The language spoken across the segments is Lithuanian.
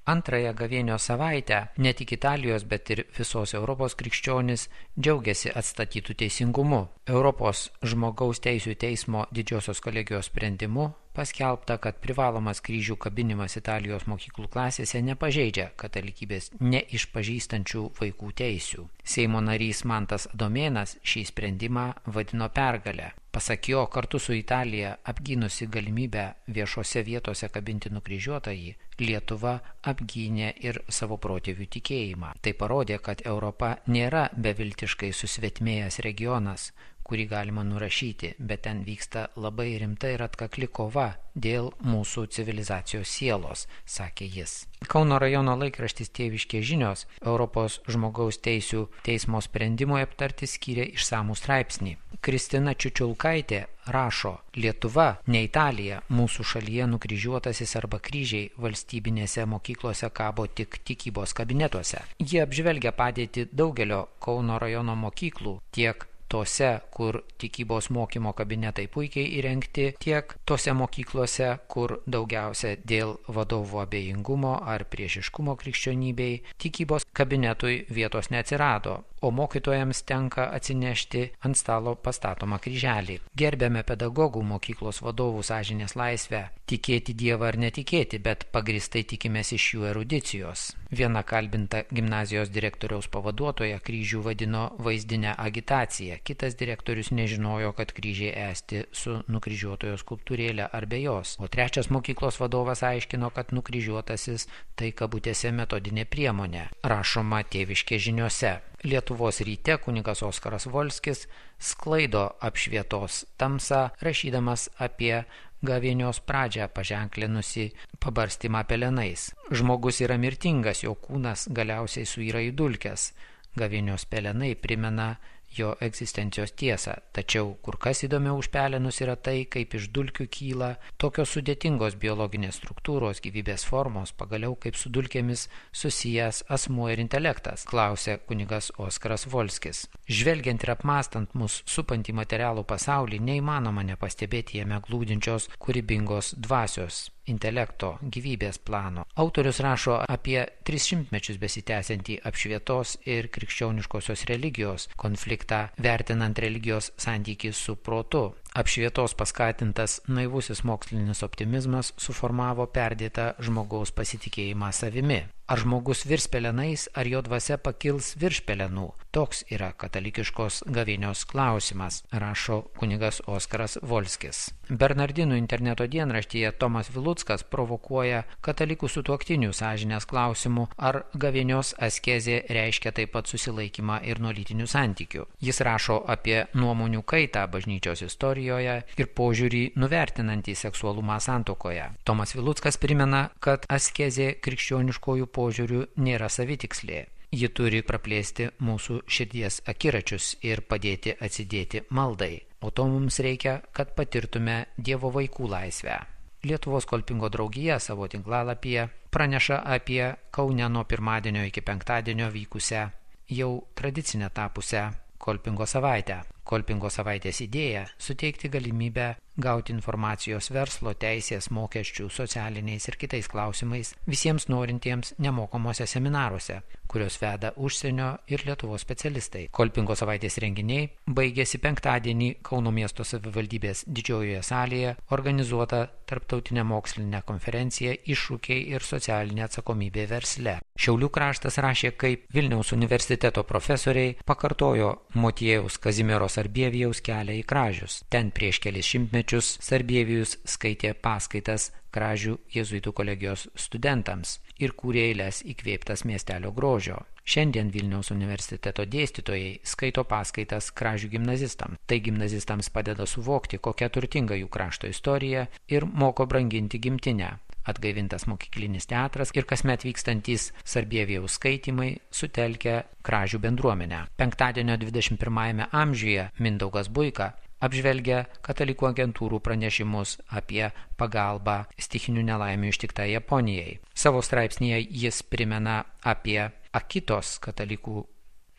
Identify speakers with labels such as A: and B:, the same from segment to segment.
A: Antrąją gavėnios savaitę ne tik Italijos, bet ir visos Europos krikščionys džiaugiasi atstatytų teisingumu. Europos žmogaus teisių teismo didžiosios kolegijos sprendimu paskelbta, kad privalomas kryžių kabinimas Italijos mokyklų klasėse nepažeidžia katalikybės neišpažįstančių vaikų teisių. Seimo narys Mantas Adomėnas šį sprendimą vadino pergale. Pasak jo, kartu su Italija apgynusi galimybę viešose vietose kabinti nukryžiuotąjį, Lietuva apgynė ir savo protėvių tikėjimą. Tai parodė, kad Europa nėra beviltiškai susvetmėjęs regionas, kurį galima nurašyti, bet ten vyksta labai rimta ir atkakli kova dėl mūsų civilizacijos sielos, sakė jis. Kauno rajono laikraštis Tėviškės žinios Europos žmogaus teisių teismo sprendimui aptarti skyrė išsamų straipsnį. Kristina Čiučiulkaitė rašo: Lietuva, ne Italija, mūsų šalyje nukryžiuotasis arba kryžiai valstybinėse mokyklose kabo tik tikybos kabinetuose. Jie apžvelgia padėtį daugelio Kauno rajono mokyklų, tiek tose, kur tikybos mokymo kabinetai puikiai įrengti, tiek tose mokyklose, kur daugiausia dėl vadovų abejingumo ar priešiškumo krikščionybei tikybos kabinetui vietos neatsirado, o mokytojams tenka atsinešti ant stalo pastatomą kryželį. Gerbiame pedagogų mokyklos vadovų sąžinės laisvę tikėti Dievą ar netikėti, bet pagristai tikimės iš jų erudicijos. Viena kalbinta gimnazijos direktoriaus pavaduotoja kryžių vadino vaizdinę agitaciją. Kitas direktorius nežinojo, kad kryžiai esti su nukryžiuotojo skulptūrėlė ar be jos. O trečias mokyklos vadovas aiškino, kad nukryžiuotasis tai kabutėse metodinė priemonė. Rašoma Tėviškės žiniose. Lietuvos ryte kunigas Oskaras Volskis sklaido apšvietos tamsą, rašydamas apie gavėnios pradžią paženklinusi pabarstymą pelenais. Žmogus yra mirtingas, jo kūnas galiausiai suyra į dulkes. Gavėnios pelenai primena jo egzistencijos tiesą, tačiau kur kas įdomiau už pelenus yra tai, kaip iš dulkių kyla tokios sudėtingos biologinės struktūros, gyvybės formos, pagaliau kaip su dulkėmis susijęs asmuo ir intelektas, klausė kunigas Oskaras Volskis. Žvelgiant ir apmastant mus supantį materialų pasaulį, neįmanoma nepastebėti jame glūdinčios kūrybingos dvasios, intelekto, gyvybės plano. Autorius rašo apie 300 mečius besitęsiantį apšvietos ir krikščioniškosios religijos konfliktą, vertinant religijos santykį su protu. Apšvietos paskatintas naivusis mokslinis optimizmas suformavo perdėtą žmogaus pasitikėjimą savimi. Ar žmogus virs pelenais, ar jo dvasia pakils virš pelenų? Toks yra katalikiškos gavėnios klausimas, rašo kunigas Oskaras Volskis. Bernardinų interneto dienraštyje Tomas Viluckas provokuoja katalikų sutuoktinių sąžinės klausimų, ar gavėnios askezė reiškia taip pat susilaikymą ir nuo lytinių santykių. Jis rašo apie nuomonių kaitą bažnyčios istorijoje ir požiūrį nuvertinantį seksualumą santuokoje. Tomas Viluckas primena, kad askezė krikščioniškojų požiūrių nėra savitikslė. Ji turi praplėsti mūsų širdies akiračius ir padėti atsidėti maldai. O to mums reikia, kad patirtume Dievo vaikų laisvę. Lietuvos kolpingo draugija savo tinklalapyje praneša apie Kaune nuo pirmadienio iki penktadienio vykusią, jau tradicinę tapusią kolpingo savaitę. Kolpingo savaitės idėja – suteikti galimybę gauti informacijos verslo, teisės, mokesčių, socialiniais ir kitais klausimais visiems norintiems nemokamuose seminaruose, kurios veda užsienio ir Lietuvos specialistai. Kolpingo savaitės renginiai baigėsi penktadienį Kauno miesto savivaldybės didžiojoje salėje organizuota tarptautinė mokslinė konferencija Iššūkiai ir socialinė atsakomybė versle. Šiaulių kraštas rašė, kaip Vilniaus universiteto profesoriai pakartojo Motiejaus Kazimiero Sarbievijaus kelią į Kražius. Ten prieš kelis šimtmečius Sarbievijus skaitė paskaitas Kražių jėzuitų kolegijos studentams ir kūrė eiles įkvėptas miestelio grožio. Šiandien Vilniaus universiteto dėstytojai skaito paskaitas Kražių gimnazistams. Tai gimnazistams padeda suvokti, kokia turtinga jų krašto istorija ir moko branginti gimtinę. Atgaivintas mokyklinis teatras ir kasmet vykstantys Sarbievijaus skaitymai sutelkia Kražių bendruomenę. Penktadienio 21 amžiuje Mindaugas Buika apžvelgia katalikų agentūrų pranešimus apie pagalbą stichinių nelaimių ištiktai Japonijai. Savo straipsnyje jis primena apie Akitos katalikų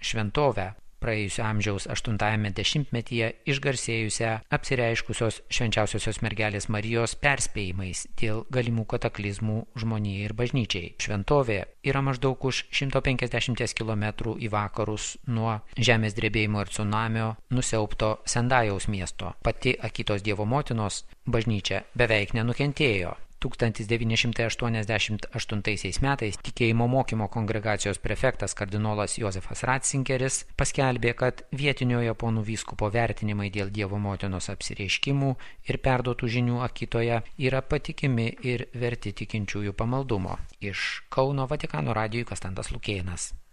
A: šventovę, praėjusio amžiaus 8-ame dešimtmetyje išgarsėjusią apsireiškusios Švenčiausiosios mergelės Marijos perspėjimais dėl galimų kataklizmų žmonijai ir bažnyčiai. Šventovė yra maždaug už 150 km į vakarus nuo žemės drebėjimo ir tsunamio nusiaubto Sendajaus miesto. Pati Akitos Dievo motinos bažnyčia beveik nenukentėjo. 1988 metais tikėjimo mokymo kongregacijos prefektas kardinolas Jozefas Ratzingeris paskelbė, kad vietinio japonų vyskupo vertinimai dėl Dievo motinos apsireiškimų ir perduotų žinių Akitoje yra patikimi ir verti tikinčiųjų pamaldumo. Iš Kauno Vatikano radijui Kastantas Lukėnas.